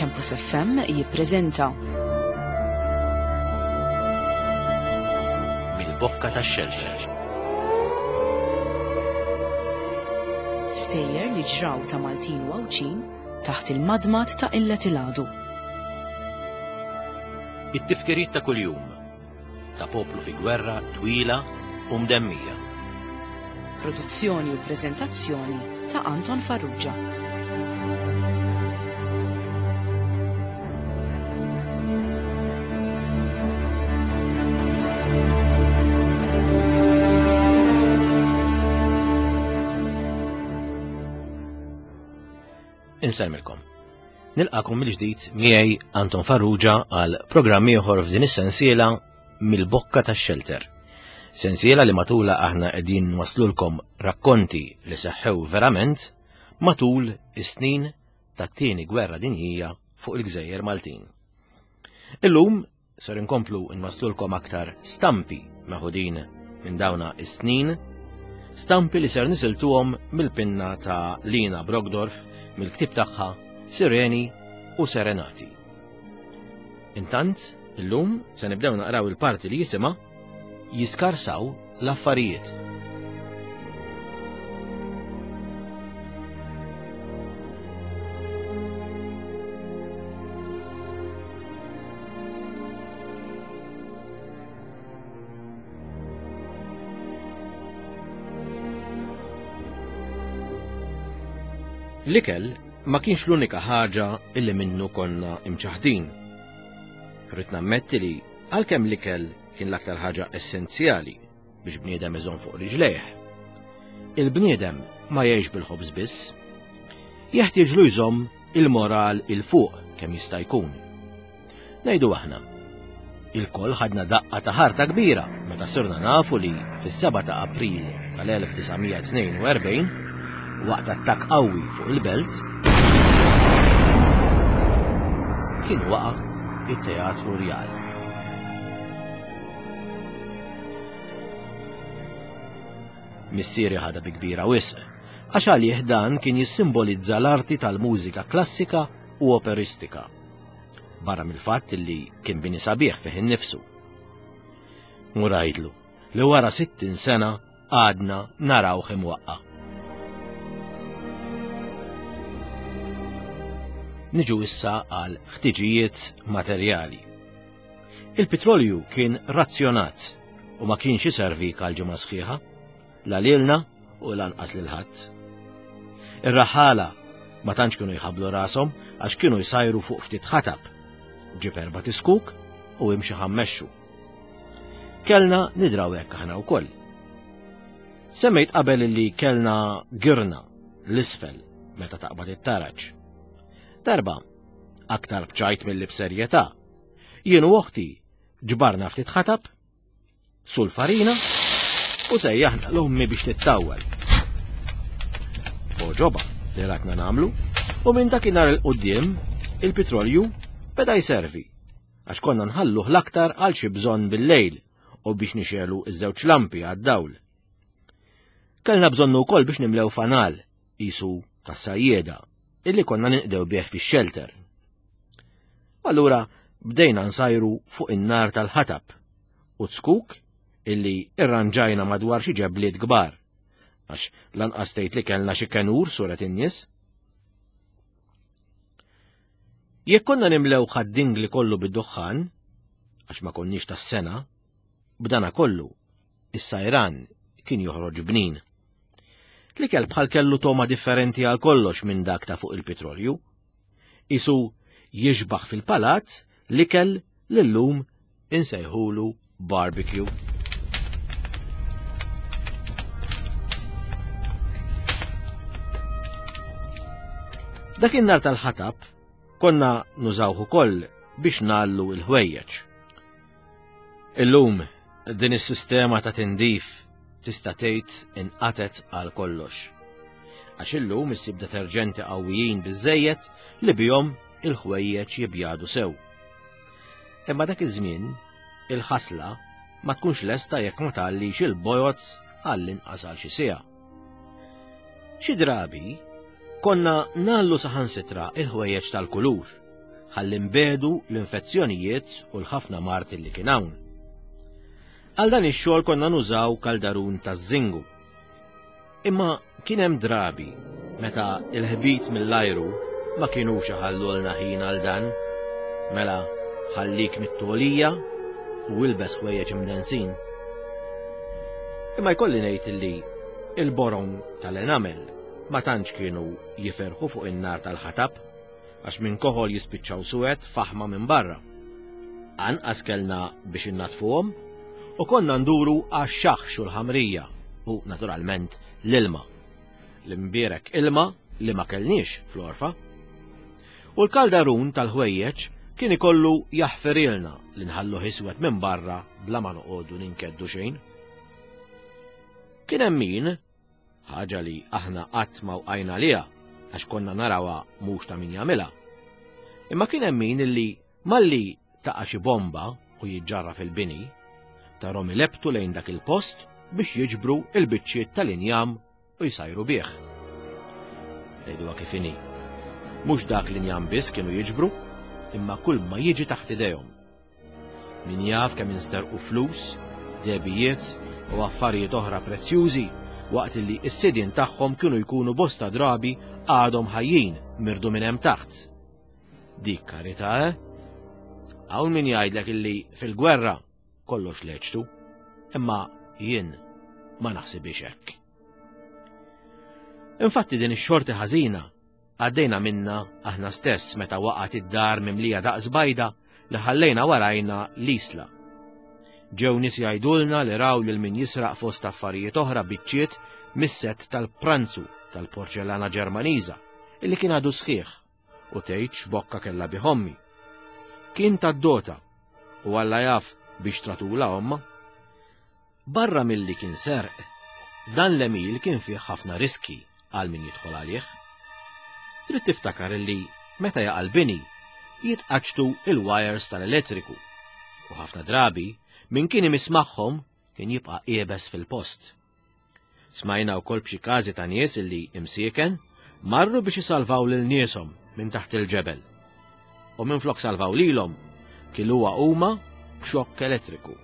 Campus FM jippreżenta. Mill-bokka tax-xelxel. Stejjer li ġraw ta' Maltin u Għawdxin taħt il-madmad ta' illet il-għadu. It-tifkiriet ta' kuljum ta' poplu fi gwerra twila u mdemmija. Produzzjoni u preżentazzjoni ta' Anton Farrugia. Insellmilkom. Nilqakom mill-ġdid miegħi Anton Farrugia għal programm ieħor f'din is-sensiela mill-bokka tax-xelter. Sensiela li matula aħna qegħdin nwaslulkom rakkonti li seħħew verament matul is-snin tat-tieni gwerra dinjija fuq il-gżejjer Maltin. Illum Ser inkomplu nwaslulkom aktar stampi meħudin minn dawna is-snin, stampi li ser nisiltuhom mill-pinna ta' Lina Brogdorf mill-ktieb tagħha Sireni u Serenati. Intant, illum se nibdew naqraw il-parti li jisimha Jiskarsaw l-affarijiet. L-ikel ma kienx l-unika ħaġa illi minnu konna imċaħdin. Rrid nammetti li għalkemm l-ikel kien l-aktar ħaġa essenzjali biex bniedem iżomm fuq riġlejh. Il-bniedem ma jgħix bil-ħobż biss. Jeħtieġlu jżomm il-moral il fuq kemm jista' jkun. Ngħidu aħna. Il-koll ħadna daqqa ta' ħarta kbira meta sirna nafu li fis-7 ta' April tal-1942 waqt attakk qawwi fuq il-belt kien waqa' it-Teatru Rjal. Missieri ħadha bi kbira wisq, għax għalih dan kien jissimbolizza l-arti tal-mużika klassika u operistika. Barra mill-fatt li kien bini sabiħ fih innifsu. Murajdlu li wara 60 sena għadna narawh imwaqqa'. Niġu issa għal ħtiġijiet materjali. Il-pitrolju kien razzjonat u ma kienx iservi għal ġimgħa sħiħa, la lilna u lanqas lil ħadd. Ir-raħala ma tantx kienu jħablu rashom għax kienu jsajru fuq ftit ħatab. Ġib erba' tiskuk u imxi ħammexxu. Kellna nidraw hekk aħna wkoll. Semmejt qabel li kellna girna l-isfel meta taqbad it-taraġ. Darba, aktar bċajt mill-li b'serjetà, jien u oħti ġbarna ftit ħatab, sul farina u sejjaħna l-ommi biex tittawwal. Oġoba li ratna namlu u minn dakinhar il-qudiem il-pitrolju beda jservi għax konna nħalluh l-aktar għal xi bżonn bil-lejl u biex nixelu iż-żewġ lampi għad-dawl. Kellna bżonnu wkoll biex nimlew fanal qisu tas-sajjieda illi konna ninqdew bih fix-xelter. Allura bdejna nsajru fuq in-nar tal-ħatab u zkuk illi irranġajna madwar xi ġebliet kbar għax lanqas tgħid li kellna xi kenur suret in-nies. Jekk konna nimlew ħad-dingli kollu bid-duħħan, għax ma konniex tas-sena, b'dana kollu, is-sajran kien joħroġ bnin. L-ikel bħal kellu toma differenti għal kollox minn dak ta' fuq il-pitrolju. Isu jixbaħ fil-palat l-ikel li llum insejħulu barbecue. Dak in-nar tal-ħatab konna nużawh ukoll biex nagħllu l-ħwejjeġ. Illum din is-sistema ta' tindif tista' tgħid inqatet għal kollox. Għax illum issib deterġenti qawwijin biżejjed li bihom il-ħwejjeġ jibjadu sew. Imma dak iż-żmien il-ħasla ma tkunx lesta jekk ma tgħallix il-bojod għall-inqas għal xi siegħa. Xi drabi konna nagħllu saħansitra il-ħwejjeġ tal-kulur. ħalli nbedu l-infezzjonijiet u l-ħafna mard li kien hawn. Għal dan ix-xogħol konna nużaw kaldarun taż-żingu. Imma kien hemm drabi meta l-ħbit mill-ajru ma kinux iħallulna ħin għal dan. Mela ħallik mit-togħlija u ilbes ħwejjeġ imdensin. Imma jkolli ngħid li il-borom tal-enamel ma tantx kienu jiferħu fuq in-nar tal-ħatab għax minn koħol jispiċċaw suwed faħma minn barra. Anqas kellna biex innatfuhom u konna nduru għax-xaħx u l-ħamrija u naturalment l-ilma. L-imbierek ilma li ma kellniex fl-għorfa. U l-kaldarun tal-ħwejjeġ kien ikollu jaħfirilna li nħalluh iswed minn barra bla ma noqogħdu ninkeddu xejn. Kien hemm min Ħaġa li aħna qatt ma wqajna għaliha għax konna narawha mhux ta' min jagħmilha. Imma kien hemm min illi malli taqa' xi bomba u jiġġarraf il-bini, tarhom ilebbtu lejn dak il-post biex jiġbru l-biċċiet tal-injam u jsajru bih. Ngħiduha kif inhi. Mhux dak l-injam biss kienu jiġbru, imma kull ma jiġi taħt idejhom. Min jaf kemm insterqu flus, dehbijiet u affarijiet oħra prezzjużi waqt li s-sidien tagħhom kienu jkunu bosta drabi għadhom ħajjin mirdu minn hemm taħt. Dik karità, eh? Hawn min jgħidlek illi fil-gwerra kollox leċtu, imma jien ma naħsibix hekk. Infatti din ix-xorti ħażina Għaddejna minnha aħna stess meta waqgħet id-dar mimlija daqs bajda li ħallejna warajna l-Isla. Ġew nies jgħidulna li raw lil min jisraq fost affarijiet oħra biċċiet mis-sett tal-pranzu tal-porċellana Ġermaniża illi kien għadu sħiħ u tgħid x'bokka kellha bih ommi. Kien tad-dota u Alla jaf biex tratula omma. Barra milli kien serq, dan l-għemil kien fih ħafna riskji għal min jidħol għalih. Trid tiftakar li meta jaqa' l-bini, jitqaċċtu il-wires tal-elettriku u ħafna drabi min kien imiss magħhom kien jibqa' iebes fil-post. Smajna wkoll b'xi każi ta' nies illi imsieken marru biex isalvaw lil nieshom minn taħt il-ġebel. U minflok salvaw lilhom, kiluha huma b'xokk elettriku.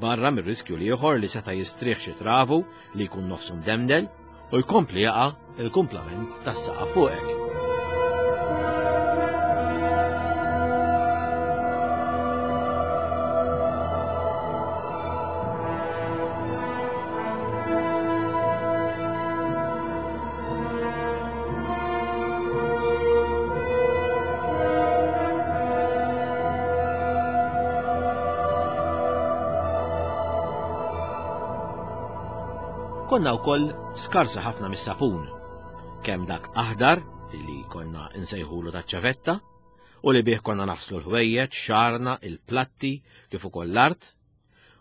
Barra mir-riskju l-ieħor li seta' jistrieħ xi travu li jkun nofsu mdemdel u jkompli jaqa' il-kumplament tas-saqaf fuqek. Konna wkoll skarsa ħafna mis-sapun, kemm dak aħdar li konna nsejħulu taċ-ċavetta u li bih konna naħslu l-ħwejjeġ, xarna, il-platti, kif ukoll l-art,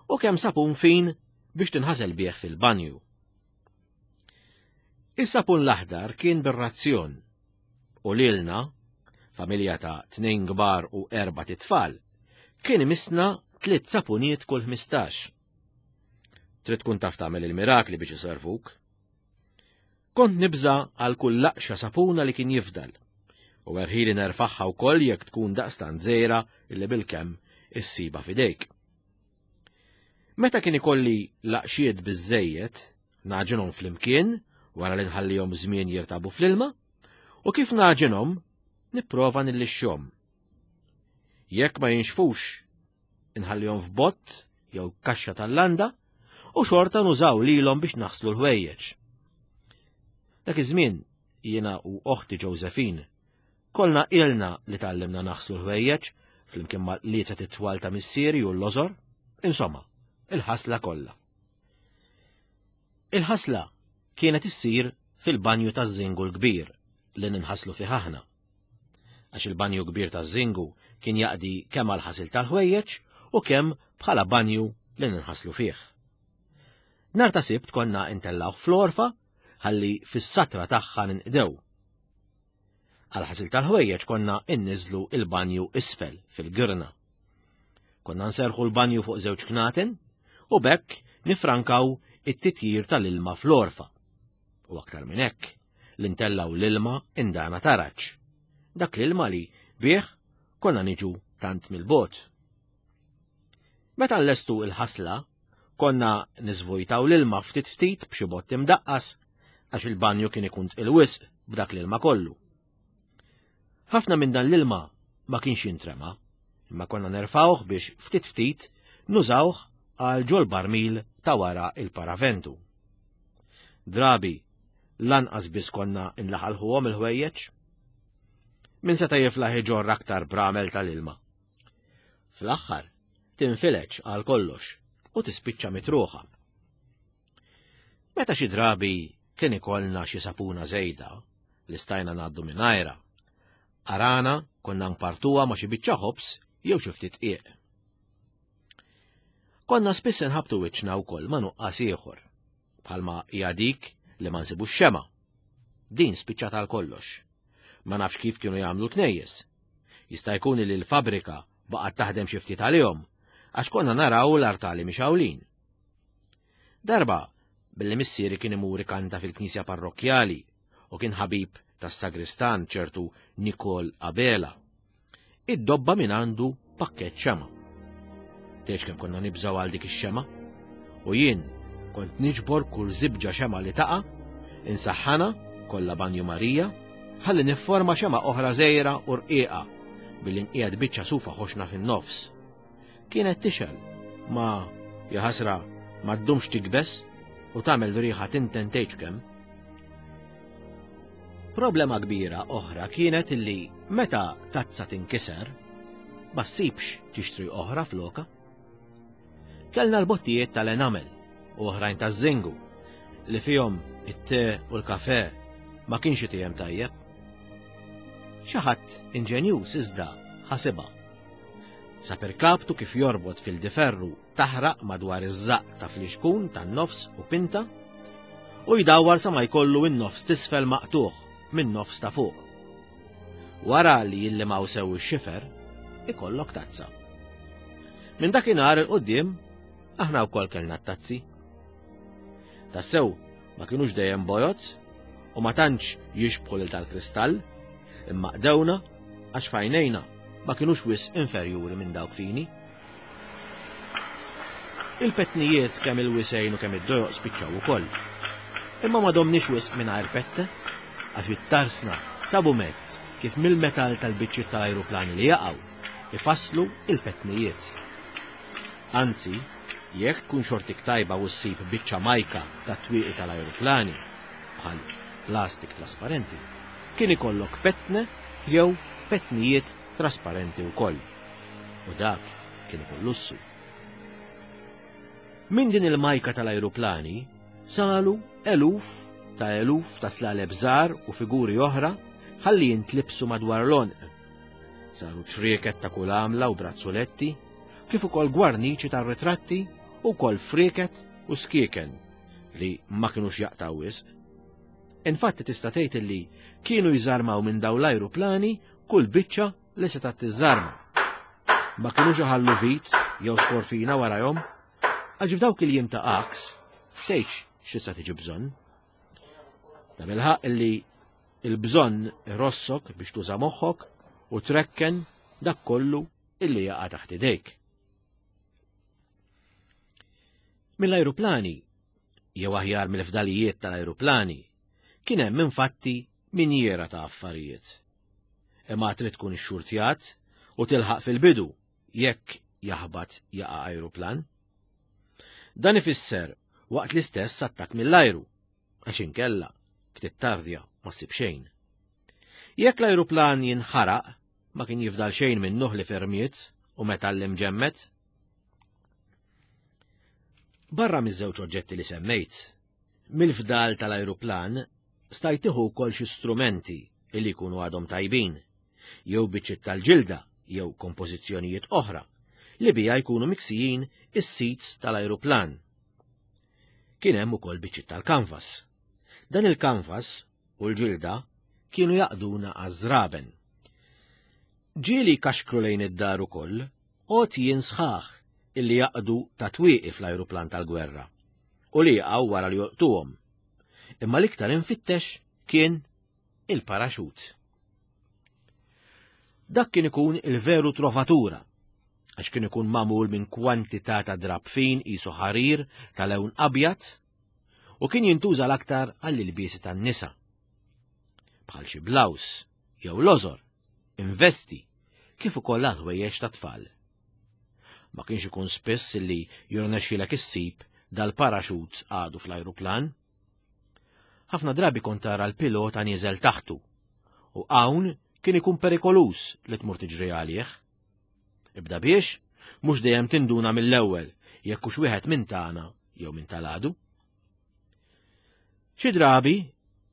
u kemm sapun fin biex tinħasel bih fil-banju. Is-sapun l-aħdar kien bir-razzjon u lilna, familja ta' tnejn kbar u erba' titfal, kien imissna tliet sapuniet kull 15. Trid tkun taf tagħmel il-mirakli biex iservuk. Kont nibża għal kull laqxa sapuna li kien jifdal. U erħili nerfaħħa wkoll jekk tkun daqstant żgħira illi bilkemm issiba f'idejk. Meta kien ikolli laqxiet biżżejjed, naġinhom flimkien wara li nħallihom żmien jirtabu fl-ilma, u kif naġinhom nipprova nillixxhom. Jekk ma jinxfux inħallihom f'bott jew kaxxa tal-landa u xorta nużaw lilhom biex naħslu l-ħwejjeġ. Dak iż-żmien jiena u oħti Josephine kollna ilna li tgħallimna naħslu l-ħwejjeġ flimkien ma' lieta it-twal ta' missieri u l-lożor, insomma, il-ħasla kollha. Il-ħasla kienet issir fil-banju taż-żingu l-kbir li ninħaslu fih aħna. Għax il-banju kbir taż-żingu kien jaqdi kemm għall-ħasil tal-ħwejjeġ u kemm bħala banju li ninħaslu fih. Nhar ta' Sibt konna intellgħuh fl-għorfa ħalli fis-satra tagħha ninqdew. Għall-ħasil tal-ħwejjeġ konna inniżlu il-banju isfel fil-girna. Konna nserħu l-banju fuq żewġ knaten u b'hekk nifrankaw it-titjir tal-ilma fl-għorfa. U aktar minn hekk, li ntellgħu l-ilma indana taraġ. Dak l-ilma li Bih konna niġu tant mill-bogħod. Meta nlestu il-ħasla, konna niżvujtaw l-ilma ftit ftit b'xi bott imdaqqas għax il-banju kien ikun tqil wisq b'dak l-ilma kollu. Ħafna minn dan l-ilma ma kienx jintrema, imma konna nerfawh biex ftit ftit nużawh għal ġol barmil ta' wara il-paraventu. Drabi, lanqas biss konna nlaħalħuhom il-ħwejjeġ. Min seta' jiflaħ iġorr aktar bramel tal-ilma. Fl-aħħar, tinfileġ għal kollox u tispiċċa mitruħa. Meta xi drabi kien ikollna xi sapuna żejda li stajna ngħaddu mingħajrha, arana konna npartuha ma' xi biċċa ħobż jew xi ftit qiegħ. Konna spiss inħabtu wiċċna wkoll ma' nuqqas ieħor, bħalma hija dik li ma nsibux xema. Din spiċċat għal kollox. Ma nafx kif kienu jagħmlu l-knejjes. Jista' jkun li l-fabrika baqgħet taħdem xi ftit għalihom, għax konna naraw l-artali mixgħulin. Darba, billi missieri kien imur ikanta fil-knisja parrokkjali u kien ħabib tas-sagristan ċertu Nikol Abela, iddobba minn għandu pakkett xema. Tgħidx kemm konna nibżgħu għal dik ix-xema? U jien kont niġbor kull żibġa xema li taqa', insaħħana kollha banju Marija, ħalli nifforma xema oħra żgħira u rqiqa billi nqiegħed biċċa sufa ħoxna fin-nofs. Kienet tixgħel, ma, jaħasra, ma ddumx tikbes u tagħmel riħa tinten tgħidx kemm. Problema kbira oħra kienet illi meta tazza tinkiser, ma ssibx tixtri oħra floka. Kellna l-bottijiet tal-enamel u oħrajn taż-żingu li fihom it-te u l-kafe ma kienx itijem tajjeb. Xi ħadd inġenjuż iżda ħasibha. Sab irkabtu kif jorbot fil-diferru taħraq madwar iż-żaqq ta' flixkun tan-nofs u pinta u jdawwar sa ma jkollu n-nofs t'isfel maqtugħ min-nofs ta' fuq. Wara li jillimaw sew ix-xifer, ikollok tazza. Minn dakinhar 'il quddiem aħna wkoll kellna t-tazzi. Tassew ma kinux dejjem bojod u ma tantx jixbħu lil tal-kristall, imma qdewna għax f'għajnejna ma kinux wisq inferjuri minn dawk fini. Il-petnijiet kemm il-wisgħin u kemm id-dojoq spiċċaw ukoll. Imma ma domniex wisq mingħajr pette, għax it-tarsna sabu mezz kif mill-metall tal-biċċiet tal-ajruplani li jaqgħu, ifasslu il-petnijiet. Anzi, jekk tkun xortik tajba u ssib biċċa majka tat-twieqi tal-ajruplani, bħal plastik trasparenti, kien ikollok petne jew petnijiet trasparenti wkoll. U dak kien ikun lussu. Minn din il-majka tal-ajruplani salu eluf ta' eluf ta' slaleb żgħar u figuri oħra ħalli jintlibsu madwar l-għonq. Saru ċrieket ta' kull għamla u brazzuletti, kif ukoll gwarniċi tar-ritratti u wkoll frieket u skieken li ma kinux jaqtgħu wisq. Infatti tista' tgħid illi kienu jżarmaw minn dawn l-ajruplani kull biċċa li setgħet tiżżarma. Ma kinux iħallu vit jew skorfina warajhom, għax f'dawk il-jiem ta' għaks tgħidx x'tista' tiġi bżonn. Ta' bilħaq illi il-bżonn irossok biex tuża moħħok u trekken dak kollu illi jaqa' taħt idejk. Mill-ajruplani, jew aħjar mill-fdalijiet tal-ajruplani, kien hemm infatti minjiera ta' affarijiet. Imma trid tkun xxurtjat u tilħaq fil-bidu jekk jaħbat jaqa' ajruplan. Dan ifisser waqt l-istess attakk mill-ajru, għax inkella ktittardja ma ssib xejn. Jekk l-ajruplan jinħaraq, ma kien jifdal xejn minnu li fermiet u metall imġemmed. Barra miż-żewġ oġġetti li semmejt, mill-fdal tal-ajruplan stajt tieħu wkoll xi strumenti li jkunu għadhom tajbin, jew biċċiet tal-ġilda jew kompożizzjonijiet oħra li biha jkunu miksijin is-seats tal-ajruplan. Kien hemm ukoll biċċiet tal-kanvas. Dan il-kanvas u l-ġilda kienu jaqduna għaż-żraben. Ġieli kaxkru lejn id-dar ukoll għotjien sħaħ illi jaqdu ta' twieqi fl-ajruplan tal-gwerra u li jaqgħu wara li jolqtuhom. Imma l-iktar infittex kien il-paraxut. Dak kien ikun il-veru trovatura, għax kien ikun magħmul minn kwantità ta' drapp fin qisu ħarir ta' lewn abjad u kien jintuża l-aktar għall-ilbiesi tan-nisa. Bħal xi blaws jew lożor, investi, kif ukoll għal ħwejjeġ ta' tfal. Ma kienx ikun spiss li jirnexxilek issib dal-paraxut għadu fl-ajruplan. Ħafna drabi kont tara l-pilota nieżel taħtu u hawn kien ikun perikoluż li tmur tiġri għalih. Ibda biex, mhux dejjem tinduna mill-ewwel jekk hux wieħed minn tagħna jew minn tal-għadu. Xi drabi,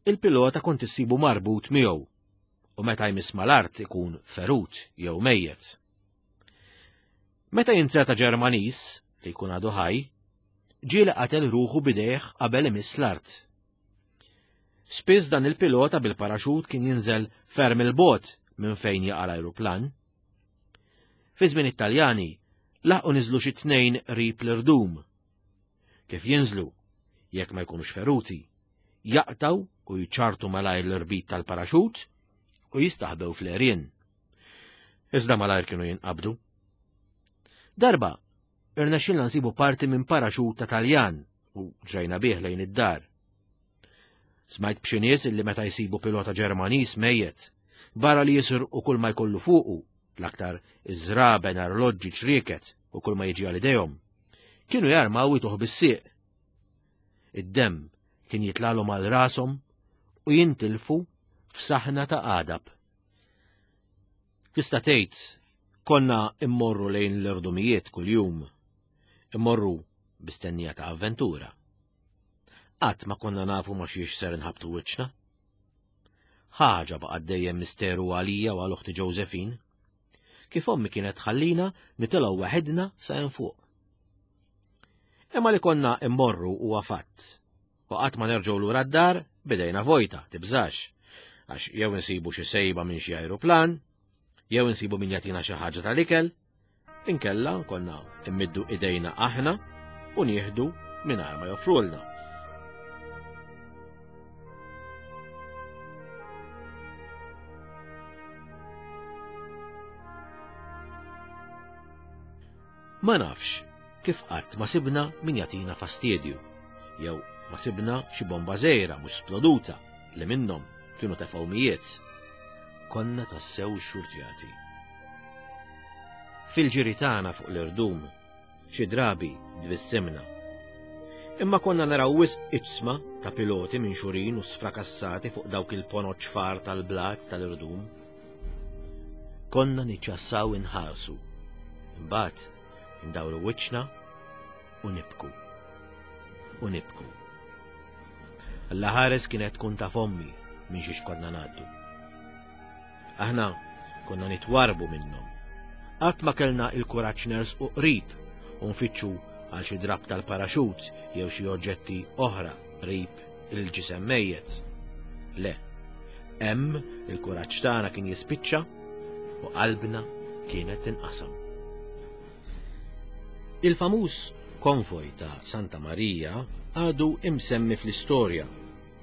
il-pilota kont issibu marbut miegħu u meta jmiss mal-art ikun ferut jew mejjet. Meta jinzerta Ġermaniż li jkun għadu ħaj, ġieli qatel ruħu bidejh qabel imiss l-art. Spiss dan il-pilota bil-paraxut kien jinżel ferm il-bot minn fejn jaqa' l-ajruplan. Fi żmien it-Taljani laħqu niżlu xi tnejn qrib l-irdum. Kif jinżlu, jekk ma jkunux feruti, jaqtgħu u jċartu malajr l-irbit tal-paraxut u jistaħbew fl-għerien. Iżda malajr kienu jinqabdu. Darba, irnexxilna nsibu parti minn paraxut ta' Taljan u ġrejna bih lejn id-dar. Smajt b'xi nies illi meta jsibu pilota Ġermaniż mejjet, barra li jisirqu kull ma jkollu fuqu, l-aktar iż-żraben, arloġġi, ċrieket u kull ma jiġi għal idejhom, kienu jarmaw ituh bis-sieq. Id-demm kien jitlalhom għal rashom u jintilfu f'saħna ta' għadab. Tista' tgħid konna immorru lejn l-irdumijiet kuljum, immorru bistennija ta' avventura. Qatt ma konna nafu ma xiex ser nħabtu wiċċna. Ħaġa baqgħet dejjem misteru għalija u għal uħti Josephine. Kif ommi kienet tħallina nitilgħu waħedna sa hemm fuq. Imma li konna immorru huwa fatt. U qatt ma nerġgħu lura d-dar bidejna vojta, tibżax. Għax jew insibu xi sejba minn xi ajruplan, jew insibu min jagħtina xi ħaġa tal-ikel, Inkella konna immiddu idejna aħna u nieħdu mingħajr ma joffrulna. Ma nafx kif qatt ma sibna min jagħtina fastidju, jew ma sibna xi bomba żgħira mhux sploduta li minnhom kienu tefgħu mijiet. Konna tassew xxurtjati. Fil-ġiri tagħna fuq l-irdum, xi drabi tbissimna. Imma konna naraw wisq iġsma ta' piloti minxurin u sfrakassati fuq dawk il-ponot ċfar tal-blat tal-irdum. Konna niċċassaw inħarsu. Imbagħad indawru wiċċna u nibku. U nibku. Alla ħares kienet tkun ta' fommi minn xiex konna ngħaddu. Aħna konna nitwarbu minnhom. Qatt ma kellna il-kuraġġ nersqu qrib u nfittxu għal xi drapp tal-paraxut jew xi oġġetti oħra qrib il-ġisem mejjet. Le, hemm il-kuraġġ tagħna kien jispiċċa u qalbna kienet tinqasam. Il-famuż konvoj ta' Santa Marija għadu imsemmi fl-istorja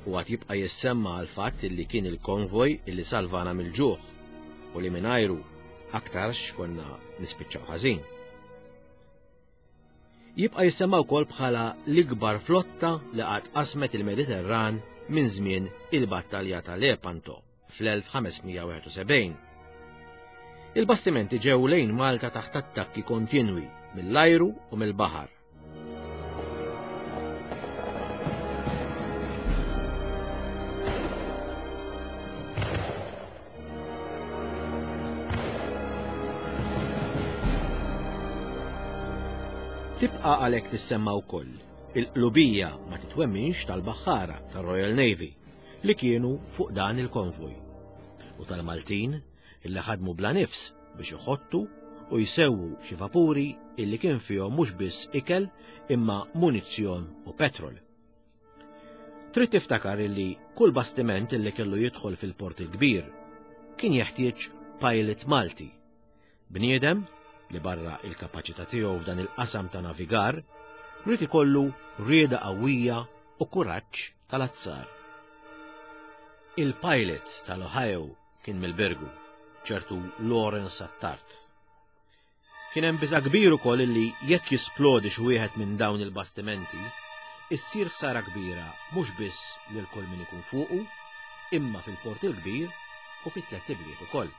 u għad jibqa' jissemma għall-fatt illi kien il-konvoj illi salvana mill-ġuħ u li mingħajru aktarx konna nispiċċaw ħażin. Jibqa' jissemma wkoll bħala l-ikbar flotta li qatt qasmet il-Mediterran minn żmien il-Battalja ta' Lepanto fl-1571. Il-bastimenti ġew lejn Malta taħt attakki kontinwi mill-ajru u mill-baħar. Tibqa' għalhekk tissemma wkoll il-qlubija ma titwemminx tal-baħħara tar-Royal Navy li kienu fuq dan il-konvoj u tal-Maltin illi ħadmu bla nifs biex iħottu u jsewwu xi vapuri illi kien fihom mhux biss ikel imma munizzjon u petrol. Trid tiftakar illi kull bastiment illi kellu jidħol fil-Port il-Kbir kien jeħtieġ pilot Malti, bniedem li barra il-kapaċità tiegħu f'dan il-qasam ta' navigar, ried ikollu rieda qawwija u kuraġġ tal-azzar. Il-pilot tal-Ohio kien mill-Birgu. ċertu Lawrence Attard. Kien hemm biża' kbir ukoll illi jekk jisplodi xi wieħed minn dawn il-bastimenti, issir ħsara kbira mhux biss lil kull min ikun fuqu, imma fil-Port il-Kbir u fit-Tlett Ibliet ukoll.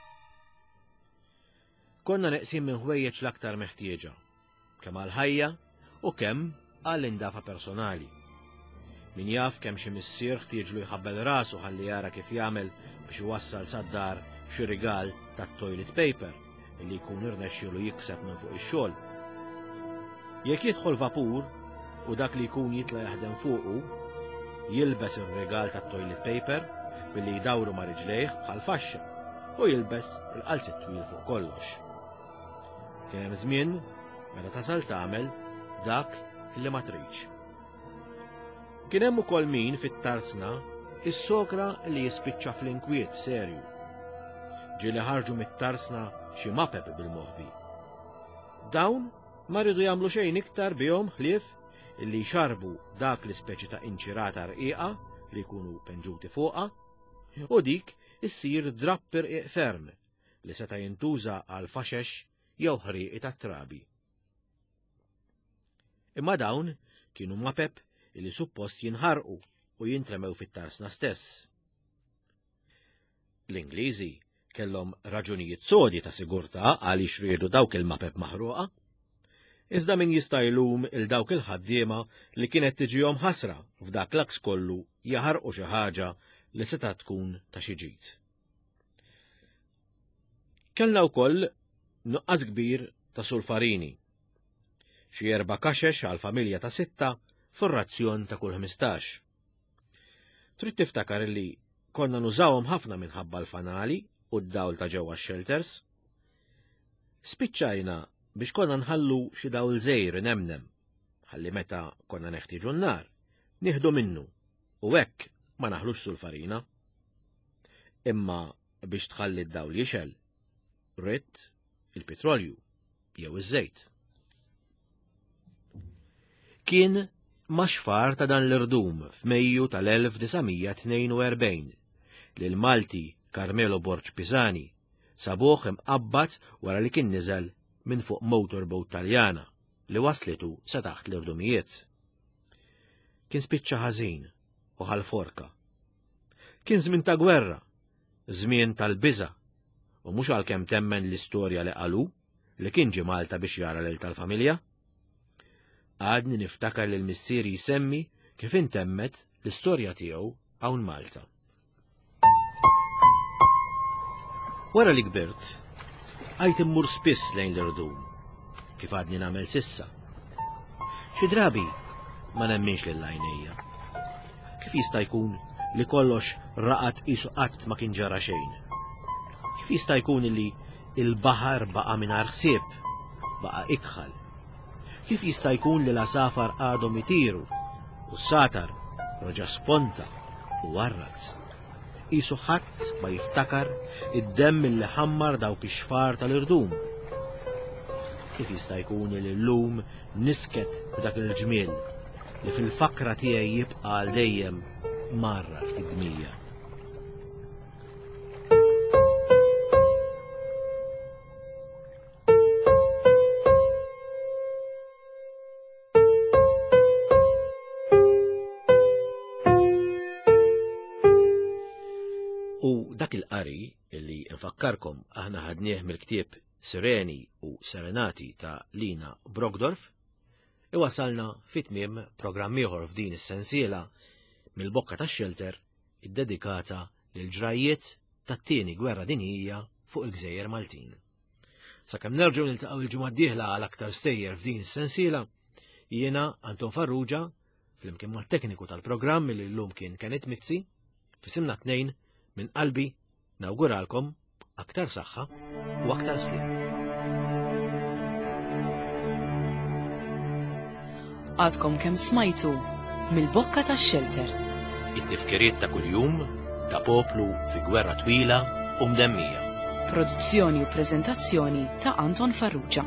Konna neqsin minn ħwejjeġ l-aktar meħtieġa, kemm għall-ħajja u kemm għall-indafa personali. Min jaf kemm xi missier ħtieġlu jħabbel rasu ħalli jara kif jagħmel biex iwassal sad-dar xi rigal tat-toilet paper li jkun irnexxielu jikseb minn fuq ix-xogħol. Jekk jidħol vapur u dak li jkun jitla' jaħdem fuqu, jilbes ir-rigal tat-toilet paper billi jdawru ma' riġlejh bħal faxxa u jilbes il-qalzit twil fuq kollox. Kien hemm żmien meta tasal tagħmel dak li ma tridx. Kien hemm ukoll min fit-tarzna issokra li jispiċċa fl-inkwiet serju. Ġieli ħarġu mit-tarzna xi mapep bil-moħbi. Dawn ma rridu jagħmlu xejn iktar bihom ħlief illi jxarbu dak l-ispeċi ta' inċirata rqiqa li jkunu penġuti fuqha u dik issir drapp irqiq ferm li seta' jintuża għal faxex jew ħrieqi tat-trabi. Imma dawn kienu mapep li suppost jinħarqu u jintremew fit-tarsna stess. L-Ingliżi kellhom raġunijiet sodi ta' sigurtà għaliex riedu dawk il-mapep maħruqa. Iżda min jista' jlum il dawk il-ħaddiema li kienet tiġihom ħasra f'dak l-aks kollu jaħarqu xi ħaġa li seta' tkun ta' xi ġid. Kellna wkoll nuqqas kbir ta' sulfarini. Xi erba' kaxex għal familja ta' sitta fir-razzjon ta' kull 15. Trid tiftakar li konna nużawhom ħafna minħabba l-fanali u d-dawl ta' ġewwa x-shelters. Spiċċajna biex konna nħallu xi dawl żejr nemnem, ħalli meta konna neħtieġu n-nar, nieħdu minnu u hekk ma naħlux sulfarina. Imma biex tħalli d-dawl jixgħel, ridt il-pitrolju jew iż-żejt. Kien max-xfar ta' dan l-irdum f'Mejju tal-1942 li l-Malti Carmelo Borg Pisani sabuh imqabbad wara li kien niżel minn fuq motorboat Taljana li waslitu sa taħt l-irdumijiet. Kien spiċċa ħażin u ħal-forka. Kien żmien ta' gwerra, żmien tal-biża', u mhux għalkemm temmen l-istorja li qalu li kien ġie Malta biex jara lil tal-familja. Għadni niftakar lil missieri jsemmi kif intemmet l-istorja tiegħu hawn Malta. Wara li kbirt, għajt immur spiss lejn l-irdum, kif għadni nagħmel sissa. Xi drabi ma nemminx lil għajnejja. Kif jista' jkun li kollox raqad qisu qatt ma kien ġara xejn? Kif jista' jkun li il-baħar baqa' mingħajr ħsieb, baqa' ikħal? Kif jista' jkun li l-għasafar għadhom itiru u s-satar reġa' sponta u warrad? Qisu ħadd ma jiftakar id-demm li ħammar dawk ix-xfar tal-irdum. Kif jista' jkun li llum nisket b'dak il-ġmiel li fil-fakra tiegħi jibqa' għal dejjem marrar fid-dmija. U dak il-qari li nfakkarkom aħna ħadnieh mill-ktieb Sireni u Serenati ta' Lina Brogdorf, iwasalna fi tmiem programm ieħor f'din is-sensiela mill-bokka tax-xelter iddedikata lil ġrajjiet tat-tieni gwerra dinjija fuq il-gżejjer Maltin. Sakemm nerġgħu niltaqgħu il-ġimgħa d-dieħla għal aktar stejjer f'din is-sensiela, jiena Anton Farrugia flimkien mat-tekniku tal-programm li llum kien Kenneth Mizzi, fisimna tnejn minn qalbi Nawguralkom aktar saħħa u aktar sliem. Għadkom kemm smajtu mill-bokka tax-xelter. It-tifkiriet ta' kuljum ta' poplu fi gwerra twila u mdemmija. Produzzjoni u preżentazzjoni ta' Anton Farrugia.